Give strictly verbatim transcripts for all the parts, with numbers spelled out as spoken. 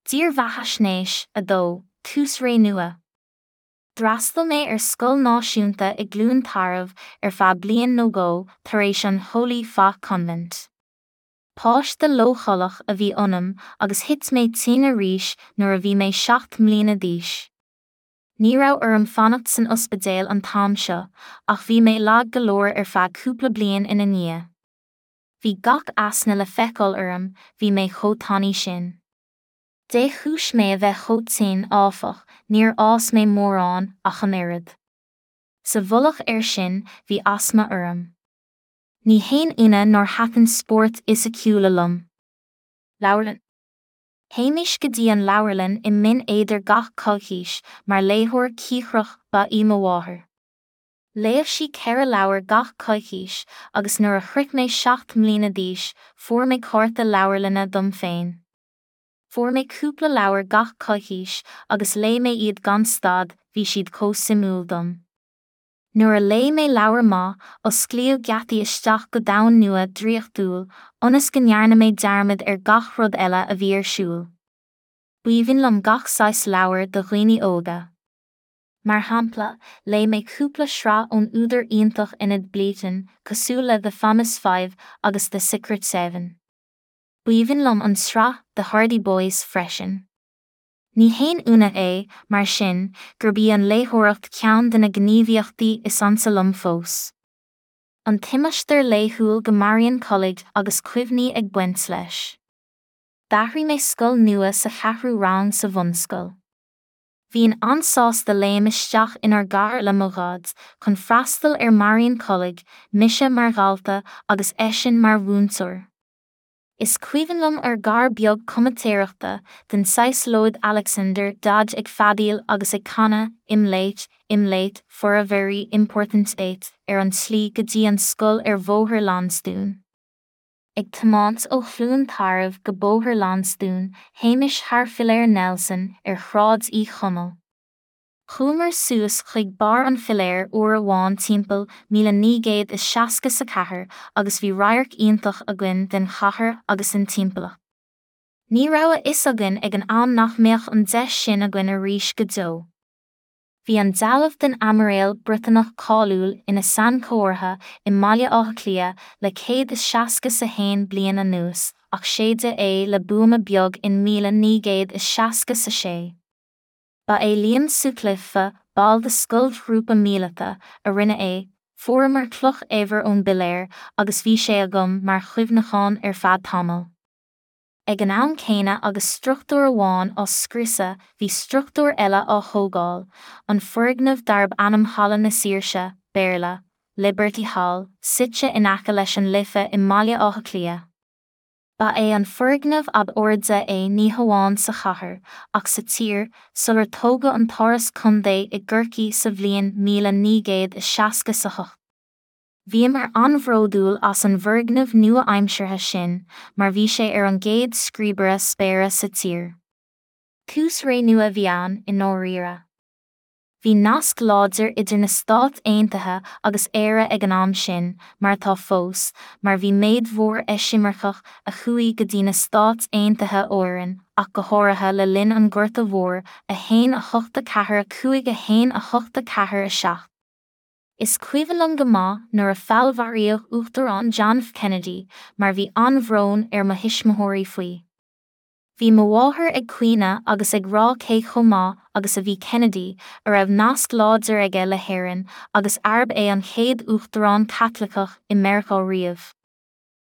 Dírbheathaisnéis a dó, Tús Ré Nua. D'fhreastail mé ar scoil náisiúnta i gCluain Tarbh ar feadh bliain nó dhó tar éis an Holy Faith Convent. Páiste leochaileach a bhí ionam agus thit mé tinn arís nuair a bhí mé seacht mbliana d'aois. Ní raibh orm fanacht san ospidéal an t-am seo, ach bhí mé lag go leor ar feadh cúpla bliain ina ndiaidh. Bhí gach easna le feiceáil orm, bhí mé chomh tanaí sin. De chúis mé a bheith chomh tinn, áfach, níor fhás mé mórán ach an oiread. Sa mhullach air sin, bhí asma orm. Ní haon ionadh nár thaitin spóirt fhisiciúla liom. Leabharlann. Théimis go dtí an leabharlann i mBinn Éadair gach coicís, mar léitheoir cíocrach ba í mo mháthair. Léadh sí ceithre leabhar gach coicís agus nuair a shroich mé seacht mbliana d'aois, fuair mé cárta leabharlainne dom féin. Fuair mé cúpla leabhar gach coicís agus léigh mé iad gan stad, bhí siad chomh suimiúil dom. Nuair a léigh mé leabhar maith, osclaíodh geataí isteach go domhan nua draíochtúil, ionas go ndearna mé dearmad ar gach rud eile a bhí ar siúl. B'aoibhinn liom gach saghas leabhar do dhaoine óga. Mar shampla, léigh mé cúpla sraith ón údar iontach Enid Blyton, cosúil le The Famous Five agus The Secret Seven. B'aoibhinn liom an tsraith The Hardy Boys freisin. Ní haon ionadh é, mar sin, gurb í an léitheoireacht ceann de na gníomhaíochtaí is ansa liom fós. An t-imeastar laethúil go Marian College agus cuimhní ag baint leis. D'athraigh mé scoil nua sa cheathrú rang sa bhunscoil. Bhínn an-sásta léim isteach inár gcarr le mo dhaid chun freastal ar Marian College, mise mar dhalta agus eisean mar mhúinteoir. Is cuimhin liom ár gcarr beag comaitéireachta den saghas Lloyd Alexander Dodge ag feadaíl agus ag canadh "I'm late, I'm late for a very important date" ar an tslí go dtí an scoil ar Bhóthar Lansdún. Ag tiomáint ó Chluain Tarbh go Bóthar Lansdún, théimis thar Philéar Nelson ar Shráid Uí Chonaill. Chuamar suas chuig barr an philéir uair amháin timpeall míle naoi gcéad is seasca is a ceathair agus bhí radharc iontach againn den chathair agus den timpeallacht. Ní raibh a fhios againn ag an am nach mbeadh an deis sin againn arís go deo. Bhí an dealbh den Aimiréal Briotanach cáiliúil ina sainchomhartha i mBaile Átha Cliath le céad is seasca is a haon bliain anuas, ach séideadh é le buama beag in míle naoi gcéad is seasca is a sé. Ba é Liam Sutcliffe, ball de scoilghrúpa míleata, a rinne é, fuaireamar cloch eibhir ón bpiléar agus bhí sé agam mar chuimhneachán ar feadh tamaill. Ag an am céanna agus struchtúr amháin á scriosadh bhí struchtúr eile á thógáil, an foirgneamh darb ainm Halla na Saoirse, Béarla, Liberty Hall, suite in aice leis an Life i mBaile Átha Cliath. Ba é an foirgneamh ab airde é ní hamháin sa chathair, ach sa tír, sular tógadh an tÁras Contae i gCorcaigh sa bhliain míle naoi gcéad is seasca is a hocht. Bhíomar an-bhródúil as an bhfoirgneamh nua-aimseartha sin, mar bhí sé ar an gcéad scríobaire spéire sa tír. Tús ré nua a bhí ann, i ndáiríre. Bhí nasc láidir idir na Stáit Aontaithe agus Éire ag an am sin, mar atá fós, mar bhí méid mhór eisimirceach a chuaigh go dtí na Stáit Aontaithe ó Éirinn, ach go háirithe le linn an Ghorta Mhóir, a haon a hocht a ceathair a cúig a haon a hocht a ceathair a seacht. Is cuimhin liom go maith nuair a feallmharaíodh Uachtarán John F. Kennedy, mar bhí an-bhrón ar mo thuismitheoirí faoi. Bhí mo mháthair ag caoineadh agus ag rá cé chomh maith agus a bhí Kennedy, a raibh nasc láidir aige le hÉirinn agus arb é an chéad uachtarán Caitliceach i Meiriceá riamh.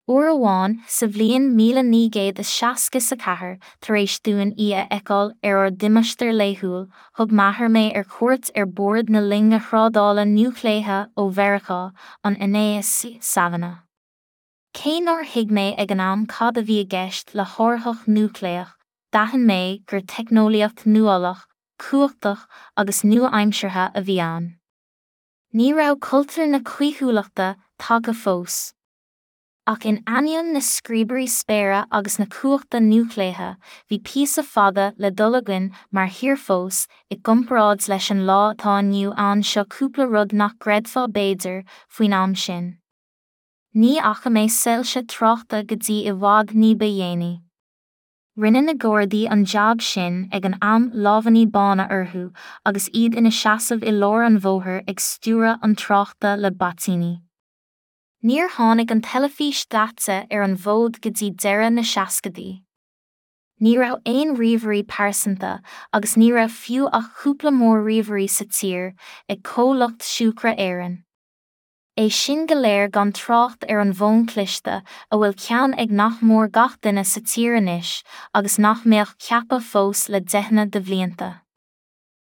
Uair amháin, sa bhliain míle naoi gcéad is seasca is a ceathair, tar éis dúinn í a fheiceáil ar ár dtimeastar laethúil, thug m'athair mé ar cuairt ar bord na loinge thrádála núicléiche ó Mheiriceá, an N A S C Savannah. Cé nár thuig mé ag an am cad a bhí i gceist le hárthach núicléach, d'aithin mé gur teicneolaíocht nuálach, cumhachtach agus nua-aimseartha a bhí ann. Ní raibh cultúr na caoithiúlachta tagtha fós. Ach in ainneoin na scríobairí spéire agus na cumhachta núicléiche, bhí píosa fada le dul againn mar thír fós, i gcomparáid leis an lá atá inniu ann seo cúpla rud nach gcreidfeá b'fhéidir, faoin am sin. Ní fhaca mé soilse tráchta go dtí i bhfad ní ba dhéanaí. Rinne na Gardaí an jab sin ag an am lámhainní bána orthu agus iad ina seasamh i lár an bhóthair ag stiúradh an tráchta le baitíní. Níor tháinig an teilifís daite ar an bhfód go dtí deireadh na seascaidí. Ní raibh aon ríomhairí pearsanta agus ní raibh fiú ach cúpla mór-ríomhairí sa tír ag comhlacht Siúcra Éireann. É sin go léir gan trácht ar an bhfón cliste a bhfuil ceann ag nach mór gach duine sa tír anois agus nach mbeadh ceaptha fós le deicheanna de bhlianta.